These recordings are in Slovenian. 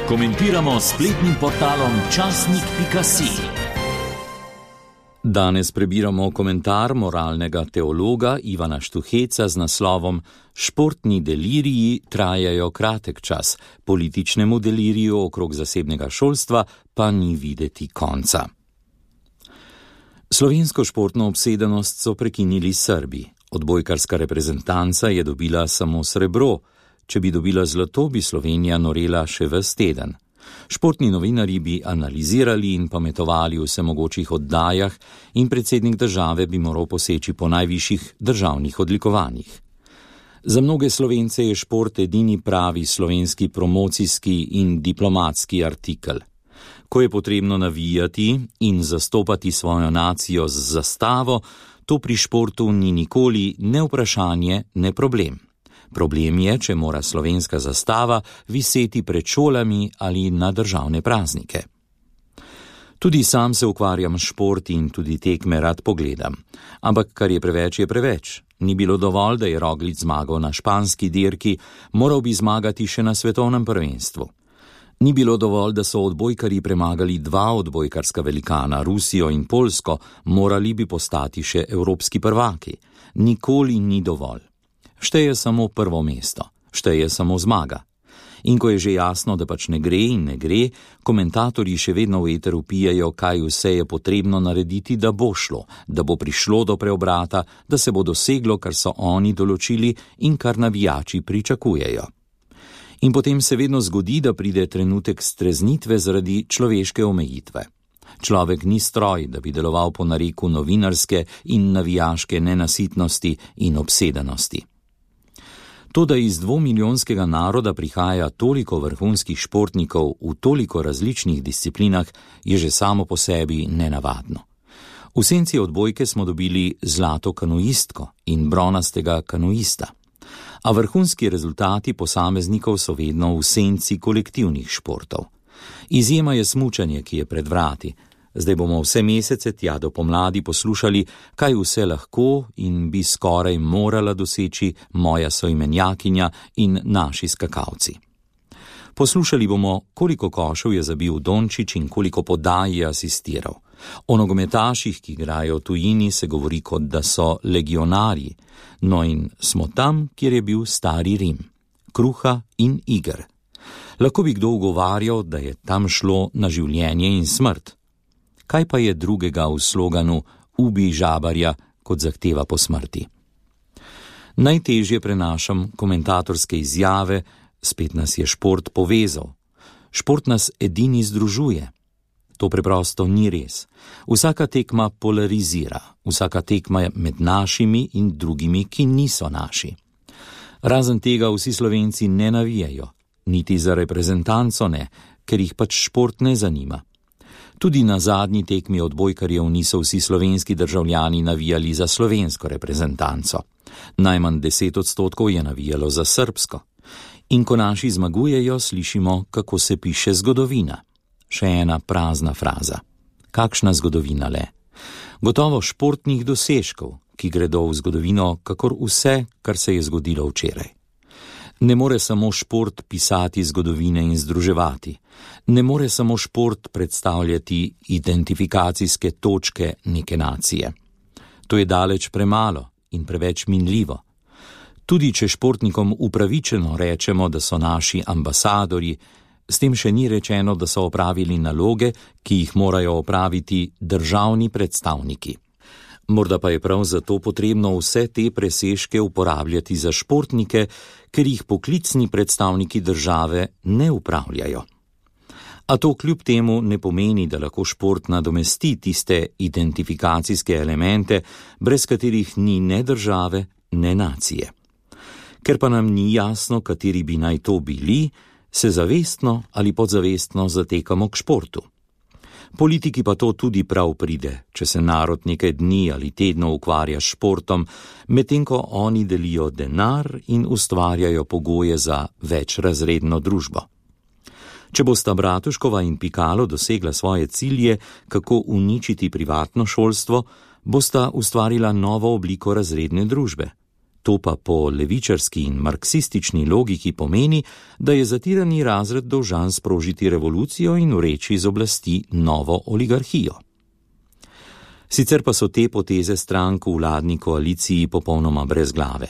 Komentiramo s spletnim portalom časnik.si. Danes prebiramo komentar moralnega teologa Ivana Štuheca z naslovom Športni deliriji trajajo kratek čas, političnemu deliriju okrog zasebnega šolstva pa ni videti konca. Slovensko športno obsedenost so prekinili Srbi. Odbojkarska reprezentanca je dobila samo srebro. Če bi dobila zlato, bi Slovenija norela še ves teden. Športni novinarji bi analizirali in pametovali v vsemogočih oddajah in predsednik države bi moral poseči po najvišjih državnih odlikovanjih. Za mnoge Slovence je šport edini pravi slovenski promocijski in diplomatski artikel. Ko je potrebno navijati in zastopati svojo nacijo z zastavo, to pri športu ni nikoli ne vprašanje, ne problem. Problem je, če mora slovenska zastava viseti pred šolami ali na državne praznike. Tudi sam se ukvarjam s športi in tudi tekme rad pogledam. Ampak kar je preveč, je preveč. Ni bilo dovolj, da je Roglič zmagal na španski dirki, moral bi zmagati še na svetovnem prvenstvu. Ni bilo dovolj, da so odbojkarji premagali dva odbojkarska velikana, Rusijo in Poljsko, morali bi postati še evropski prvaki. Nikoli ni dovolj. Šteje samo prvo mesto, šteje samo zmaga. In ko je že jasno, da pač ne gre in ne gre, komentatorji še vedno v eteru pijejo, kaj vse je potrebno narediti, da bo šlo, da bo prišlo do preobrata, da se bo doseglo, kar so oni določili in kar navijači pričakujejo. In potem se vedno zgodi, da pride trenutek streznitve zaradi človeške omejitve. Človek ni stroj, da bi deloval po nareku novinarske in navijaške nenasitnosti in obsedenosti. To, da iz 2-milijonskega naroda prihaja toliko vrhunskih športnikov v toliko različnih disciplinah, je že samo po sebi nenavadno. V senci odbojke smo dobili zlato kanuistko in bronastega kanuista. A vrhunski rezultati posameznikov so vedno v senci kolektivnih športov. Izjema je smučanje, ki je pred vrati. Zdaj bomo vse mesece tja do pomladi poslušali, kaj vse lahko in bi skoraj morala doseči moja soimenjakinja in naši skakalci. Poslušali bomo, koliko košev je zabil Dončić in koliko podaj je asistiral. O nogometaših, ki igrajo v tujini, se govori, kot da so legionarji. No in smo tam, kjer je bil stari Rim. Kruha in iger. Lahko bi kdo ugovarjal, da je tam šlo na življenje in smrt. Kaj pa je drugega v sloganu Ubij žabarja, kot zahteva po smrti? Najtežje prenašam komentatorske izjave, spet nas je šport povezal. Šport nas edini združuje. To preprosto ni res. Vsaka tekma polarizira, vsaka tekma je med našimi in drugimi, ki niso naši. Razen tega vsi Slovenci ne navijajo, niti za reprezentanco ne, ker jih pač šport ne zanima. Tudi na zadnji tekmi odbojkarjev niso vsi slovenski državljani navijali za slovensko reprezentanco. Najmanj 10% je navijalo za srbsko. In ko naši zmagujejo, slišimo, kako se piše zgodovina. Še ena prazna fraza. Kakšna zgodovina le? Gotovo športnih dosežkov, ki gredo v zgodovino, kakor vse, kar se je zgodilo včeraj. Ne more samo šport pisati zgodovine in združevati. Ne more samo šport predstavljati identifikacijske točke neke nacije. To je daleč premalo in preveč minljivo. Tudi če športnikom upravičeno rečemo, da so naši ambasadorji, s tem še ni rečeno, da so opravili naloge, ki jih morajo opraviti državni predstavniki. Morda pa je prav zato potrebno vse te presežke uporabljati za športnike, ker jih poklicni predstavniki države ne upravljajo. A to kljub temu ne pomeni, da lahko šport nadomesti tiste identifikacijske elemente, brez katerih ni ne države, ne nacije. Ker pa nam ni jasno, kateri bi naj to bili, se zavestno ali podzavestno zatekamo k športu. Politiki pa to tudi prav pride, če se narod nekaj dni ali tedno ukvarja s športom, medtem ko oni delijo denar in ustvarjajo pogoje za večrazredno družbo. Če bosta Bratuškova in Pikalo dosegla svoje cilje, kako uničiti privatno šolstvo, bosta ustvarila novo obliko razredne družbe. To pa po levičarski in marksistični logiki pomeni, da je zatirani razred dolžan sprožiti revolucijo in ureči z oblasti novo oligarhijo. Sicer pa so te poteze strank v vladni koaliciji popolnoma brezglave.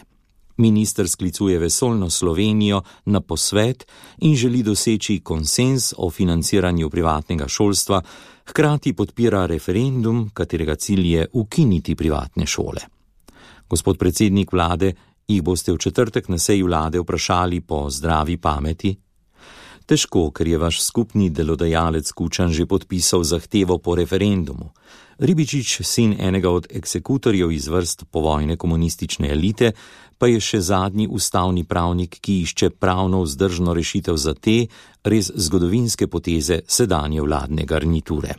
Minister sklicuje vesoljno Slovenijo na posvet in želi doseči konsenz o financiranju privatnega šolstva, hkrati podpira referendum, katerega cilj je ukiniti privatne šole. Gospod predsednik vlade, jih boste v četrtek na seji vlade vprašali po zdravi pameti? Težko, ker je vaš skupni delodajalec Kučan že podpisal zahtevo po referendumu. Ribičič, sin enega od eksekutorjev iz vrst povojne komunistične elite, pa je še zadnji ustavni pravnik, ki išče pravno vzdržno rešitev za te res zgodovinske poteze sedanje vladne garniture.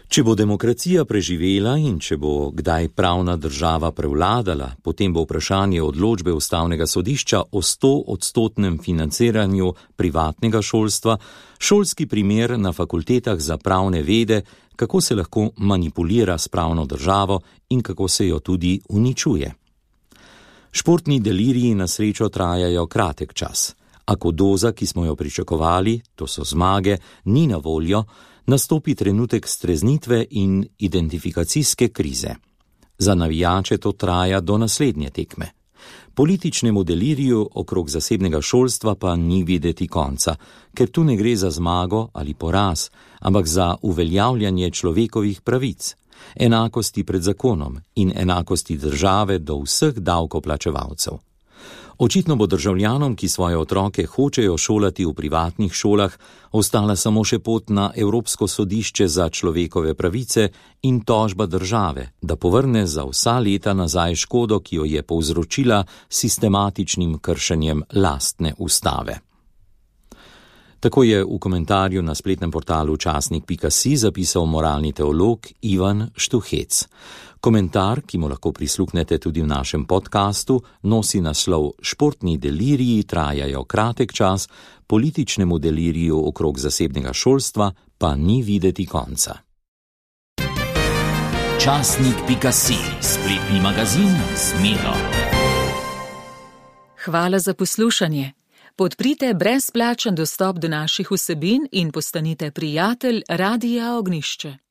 Če bo demokracija preživela in če bo kdaj pravna država prevladala, potem bo vprašanje odločbe ustavnega sodišča o 100% financiranju privatnega šolstva šolski primer na fakultetah za pravne vede, kako se lahko manipulira s pravno državo in kako se jo tudi uničuje. Športni deliriji na srečo trajajo kratek čas. A ko doza, ki smo jo pričakovali, to so zmage, ni na voljo, nastopi trenutek streznitve in identifikacijske krize. Za navijače to traja do naslednje tekme. Političnemu deliriju okrog zasebnega šolstva pa ni videti konca, ker tu ne gre za zmago ali poraz, ampak za uveljavljanje človekovih pravic, enakosti pred zakonom in enakosti države do vseh davkoplačevalcev. Očitno bo državljanom, ki svoje otroke hočejo šolati v privatnih šolah, ostala samo še pot na Evropsko sodišče za človekove pravice in tožba države, da povrne za vsa leta nazaj škodo, ki jo je povzročila sistematičnim kršenjem lastne ustave. Tako je v komentarju na spletnem portalu časnik.si zapisal moralni teolog Ivan Štuhec. Komentar, ki mu lahko prisluhnete tudi v našem podkastu, nosi naslov Športni deliriji trajajo kratek čas, političnemu deliriju okrog zasebnega šolstva pa ni videti konca. Časnik.si, spletni magazin z Miro. Hvala za poslušanje. Podprite brezplačen dostop do naših vsebin in postanite prijatelj Radia Ognjišče.